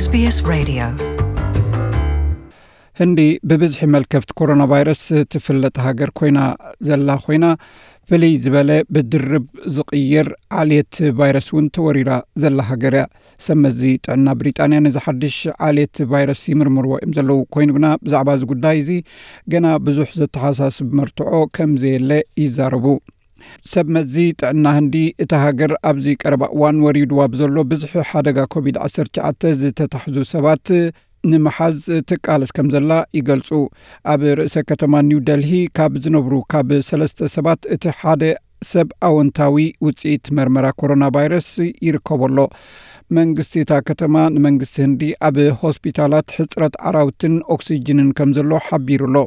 SBS Radio. ህንዲ ብብዝሒ መልከፍቲ ኮሮና ቫይረስ ትፍለጥ ሃገር ኮይና ዘላ ኮይና፣ ፍልይ ዝበለ ብድርብ ዝቕይር ዓሌት ቫይረስ እውን ተወሪራ ዘላ ሃገር እያ። ሰብ መዚ ጥዕና ብሪጣንያ ነዚ ሓድሽ ዓሌት ቫይረስ ይምርምርዎ እዮም ዘለዉ። ኮይኑ ግና ብዛዕባ እዚ ጉዳይ እዚ ገና ብዙሕ ዘተሓሳስብ መርትዖ ከም ዘየለ ይዛረቡ። ሰብ መዚ ጥዕና ህንዲ፣ እታ ሃገር ኣብዚ ቀረባ እዋን ወሪድዋ ብዘሎ ብዝሒ ሓደጋ ኮቪድ ዓሰርተ ትሽዓተ ዝተታሕዙ ሰባት ንምሓዝ ትቃለስ ከም ዘላ ይገልጹ። ኣብ ርእሰ ከተማ ኒው ደልሂ ካብ ዝነብሩ ካብ ሰለስተ ሰባት እቲ ሓደ ሰብ ኣወንታዊ ውጽኢት መርመራ ኮሮና ቫይረስ ይርከቦ ኣሎ። መንግስቲ እታ ከተማ ንመንግስቲ ህንዲ ኣብ ሆስፒታላት ሕጽረት ዓራውትን ኦክሲጅንን ከም ዘሎ ሓቢሩ ኣሎ።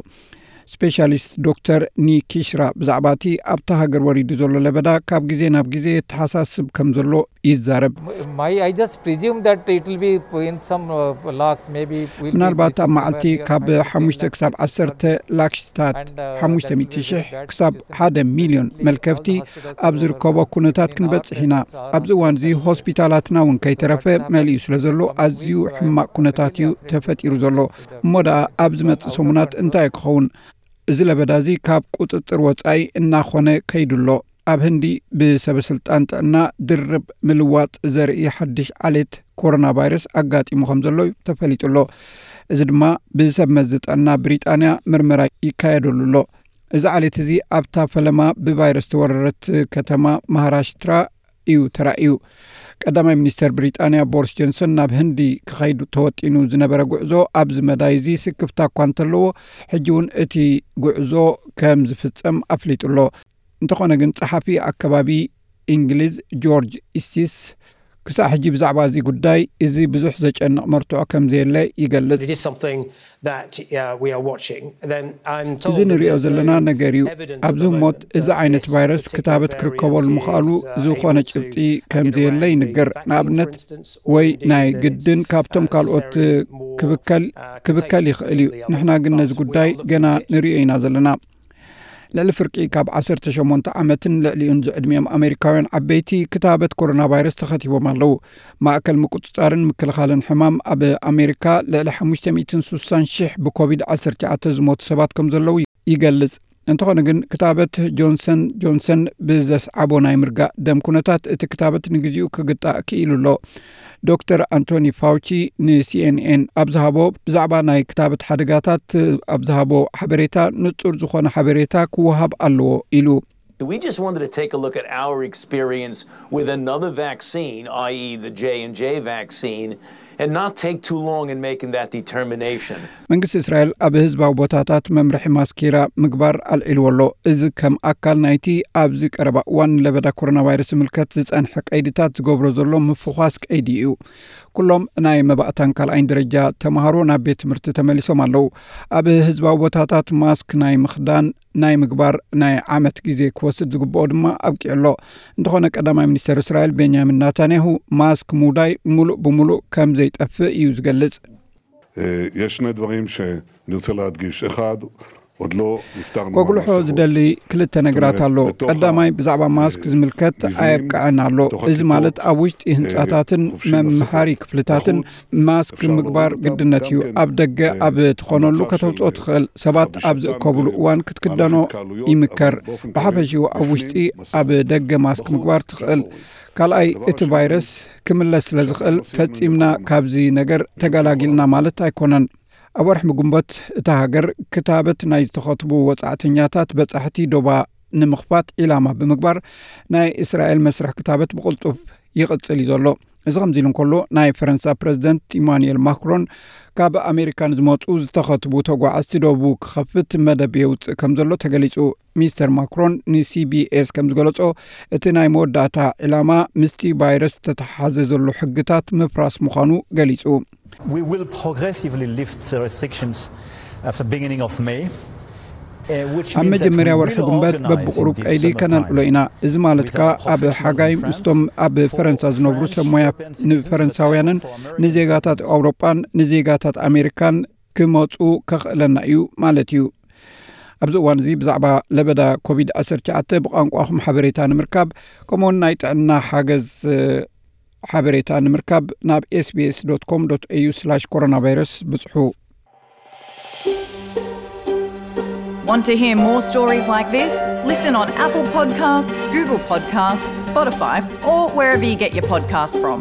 ስፔሻሊስት ዶክተር ኒኪሽራ ብዛዕባ እቲ ኣብታ ሃገር ወሪዱ ዘሎ ለበዳ ካብ ግዜ ናብ ግዜ የተሓሳስብ ከም ዘሎ ይዛረብ። My, I just presume that it will be in some uh, lakhs, maybe. We'll be ምናልባት ኣብ reaching መዓልቲ somewhere near ካብ one hundred, ሓሙሽተ ክሳብ ዓሰርተ ላክሽታት ሓሙሽተ ሚእቲ ሺሕ ክሳብ ሓደ ሚልዮን መልከፍቲ ኣብ ዝርከቦ ኩነታት ክንበጽሕ ኢና። ኣብዚ እዋን እዚ ሆስፒታላትና እውን ከይተረፈ መሊኡ ስለ ዘሎ ኣዝዩ ሕማቕ ኩነታት እዩ ተፈጢሩ ዘሎ። እሞ ደኣ ኣብ ዝመጽእ ሰሙናት እንታይ ክኸውን? እዚ ለበዳ እዚ ካብ ቁጽጽር ወጻኢ እናኾነ ከይዱ ኣሎ። ኣብ ህንዲ ብሰበ ስልጣን ጥዕና ድርብ ምልዋጥ ዘርኢ ሓድሽ ዓሌት ኮሮና ቫይረስ ኣጋጢሙ ከም ዘሎ ተፈሊጡ ኣሎ። እዚ ድማ ብሰብ መዚ ጥዕና ብሪጣንያ ምርመራ ይካየደሉ ኣሎ። እዚ ዓሌት እዚ ኣብታ ፈለማ ብቫይረስ ተወረረት ከተማ ማሃራሽትራ እዩ ተራእዩ። ቀዳማይ ሚኒስተር ብሪጣንያ ቦሪስ ጆንሰን ናብ ህንዲ ክኸይድ ተወጢኑ ዝነበረ ጉዕዞ ኣብዚ መዳይ እዚ ስክፍታ እኳ እንተለዎ፣ ሕጂ እውን እቲ ጉዕዞ ከም ዝፍጸም ኣፍሊጡ ኣሎ። እንተኾነ ግን ጸሓፊ ኣከባቢ እንግሊዝ ጆርጅ ኢስቲስ ክሳዕ ሕጂ ብዛዕባ እዚ ጉዳይ እዚ ብዙሕ ዘጨንቕ መርትዖ ከም ዘየለ ይገልጽ። It is something that uh, we are watching. Then I'm told እዚ that ንሪኦ there's ዘለና no ነገር እዩ። evidence at ኣብዚ the እሞት moment እዚ that ዓይነት this ቫይረስ particular ክታበት ክርከበሉ variant ምኽኣሉ is, uh, ዝኾነ able to, ጭብጢ uh, ከም get ዘየለ around the ይንገር። vaccine, ንኣብነት for instance, or ወይ indeed ናይ that it's, ግድን ካብቶም uh, ካልኦት necessarily more, ክብከል uh, ክብከል contagious ይኽእል እዩ። than the other ንሕና ግን ነዚ strains, but we ጉዳይ are looking ገና to it. ንሪኦ ኢና ዘለና። ልዕሊ ፍርቂ ካብ ዓሰርተ ሸሞንተ ዓመትን ልዕሊኡን ዝዕድሚኦም ኣሜሪካውያን ዓበይቲ ክታበት ኮሮና ቫይረስ ተኸቲቦም ኣለዉ። ማእከል ምቁጽጻርን ምክልኻልን ሕማም ኣብ ኣሜሪካ ልዕሊ ሓሙሽተ ሚእትን ስሳን ሽሕ ብኮቪድ ዓሰርተ ትሽዓተ ዝሞቱ ሰባት ከም ዘለዉ ይገልጽ። እንተኾነ ግን ክታበት ጆንሰን ጆንሰን ብዘስዓቦ ናይ ምርጋእ ደም ኩነታት እቲ ክታበት ንግዚኡ ክግጣእ ክኢሉ ኣሎ። ዶክተር ኣንቶኒ ፋውቺ ንሲኤንኤን ኣብ ዝሃቦ ብዛዕባ ናይ ክታበት ሓደጋታት ኣብ ዝሃቦ ሓበሬታ ንጹር ዝኾነ ሓበሬታ ክወሃብ ኣለዎ ኢሉ። We just wanted to take a look at our experience with another vaccine, i e the J and J vaccine, and not take too long in making that determination. መንግስቲ እስራኤል ኣብ ህዝባዊ ቦታታት መምርሒ ማስኪራ ምግባር ኣልዒልዎ ኣሎ። እዚ ከም ኣካል ናይቲ ኣብዚ ቀረባ እዋን ንለበዳ ኮሮና ቫይረስ ዝምልከት ዝጸንሐ ቀይድታት ዝገብሮ ዘሎ ምፍዃስ ቀይዲ እዩ። ኩሎም ናይ መባእታን ካልኣይን ደረጃ ተምሃሮ ናብ ቤት ትምህርቲ ተመሊሶም ኣለዉ። ኣብ ህዝባዊ ቦታታት ማስክ ናይ ምኽዳን ናይ ምግባር ናይ ዓመት ግዜ ክወስድ ዝግብኦ ድማ ኣብቂዑ ኣሎ። እንተኾነ ቀዳማይ ሚኒስተር እስራኤል ቤንያሚን ናታንያሁ ማስክ ምውዳይ ሙሉእ ብሙሉእ ከም ዘይጠፍእ እዩ ዝገልጽ። יש שני דברים שאני רוצה להדגיש. אחד, עוד לא נפטרנו ከጉልሖ מהמסכות. ዝደሊ ክልተ ነገራት ኣሎ። בתוך ቀዳማይ ብዛዕባ ማስክ ዝምልከት מבנים, ኣየብቅዐን ኣሎ። בתוך እዚ ማለት הכיתות, ኣብ ውሽጢ ህንጻታትን חובשים መምሃሪ מסכות. ክፍልታትን בחוץ, אפשר ምግባር להוריד אותם ግድነት גם እዩ። כן, ኣብ ደገ אה, ኣብ ትኾነሉ מצב ከተውፅኦ של, ትኽእል። ሰባት ኣብ חבישתם ዝእከቡሉ וכו'. እዋን ክትክደኖ ማለፍ התקהלויות, ይምከር። אבל באופן ብሓፈሽኡ כללי ኣብ ውሽጢ בפנים, ኣብ מסכות. ደገ ማስክ בחוץ, ምግባር אפשר ትኽእል። להוריד. ካልኣይ דבר እቲ השני, ቫይረስ ክምለስ ስለ ዝኽእል שאנחנו מסיימים ፈጺምና את הקורונה. ካብዚ ነገር ተገላጊልና ማለት ኣይኮነን። ኣብ ወርሒ ግንቦት እታ ሃገር ክታበት ናይ ዝተኸትቡ ወጻእተኛታት በጻሕቲ ዶባ ንምኽፋት ዒላማ ብምግባር ናይ እስራኤል መስርሕ ክታበት ብቕልጡፍ ይቕጽል እዩ ዘሎ። እዚ ከምዚ ኢሉ እንከሎ ናይ ፈረንሳ ፕረዚደንት ኢማኑኤል ማክሮን ካብ ኣሜሪካ ንዝመጹ ዝተኸትቡ ተጓዓዝቲ ዶቡ ክኸፍት መደብ የውጽእ ከም ዘሎ ተገሊጹ። ሚስተር ማክሮን ንሲቢኤስ ከም ዝገለጾ እቲ ናይ መወዳእታ ዒላማ ምስቲ ቫይረስ ዝተተሓሓዘ ዘሎ ሕግታት ምፍራስ ምዃኑ ገሊጹ። We will progressively lift the restrictions at the beginning of May. ኣብ መጀመርያ ወርሒ ግንቦት በብቁሩብ ቀይዲ ከነልዕሎ ኢና። እዚ ማለት ከኣ ኣብ ሓጋይ ምስቶም ኣብ ፈረንሳ ዝነብሩ ሰብ ሞያ ንፈረንሳውያንን ንዜጋታት ኣውሮጳን ንዜጋታት ኣሜሪካን ክመጹ ከኽእለና እዩ ማለት እዩ። ኣብዚ እዋን እዚ ብዛዕባ ለበዳ ኮቪድ ዓሰርተ ትሽዓተ ብቋንቋኹም ሓበሬታ ንምርካብ ከምኡውን ናይ ጥዕና ሓገዝ ሓበሬታ ንምርካብ ናብ ኤስቢኤስ ዶት ኮም ዶት ኤዩ ስላሽ ኮሮና ቫይረስ ብጽሑ። Want to hear more stories like this? Listen on Apple Podcasts, Google Podcasts, Spotify, or wherever you get your podcasts from.